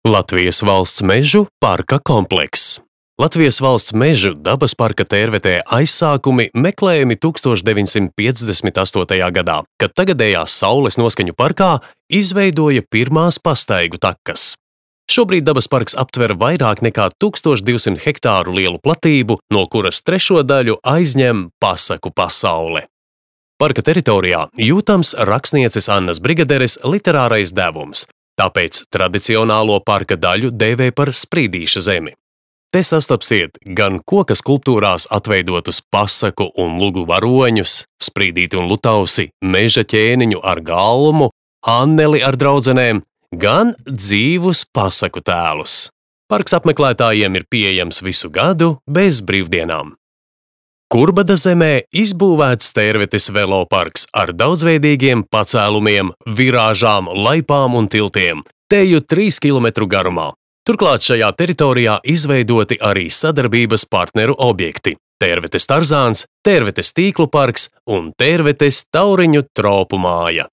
Latvijas valsts mežu parka komplekss. Latvijas valsts mežu dabas parka Tērvetē aizsākumi meklējami 1958. gadā, kad tagadējās Saules noskaņu parkā izveidoja pirmās pastaigu takas. Šobrīd dabas parks aptver vairāk nekā 1200 hektāru lielu platību, no kuras trešo daļu aizņem pasaku pasaule. Parka teritorijā jūtams rakstnieces Annas Brigaderes literārais devums, tāpēc tradicionālo parka daļu dēvē par Sprīdīša zemi. Te sastapsiet gan koka skulptūrās atveidotus pasaku un lugu varoņus, Sprīdīti un Lutausi, meža ķēniņu ar galmu, Anneli ar draudzenēm, gan dzīvus pasaku tēlus. Parks apmeklētājiem ir pieejams visu gadu bez brīvdienām. Kurbada zemē izbūvēts Tērvetes veloparks ar daudzveidīgiem pacēlumiem, virāžām, laipām un tiltiem, teju 3 km garumā. Turklāt šajā teritorijā izveidoti arī sadarbības partneru objekti – Tērvetes tarzāns, Tērvetes tīklu parks un Tērvetes tauriņu tropu māja.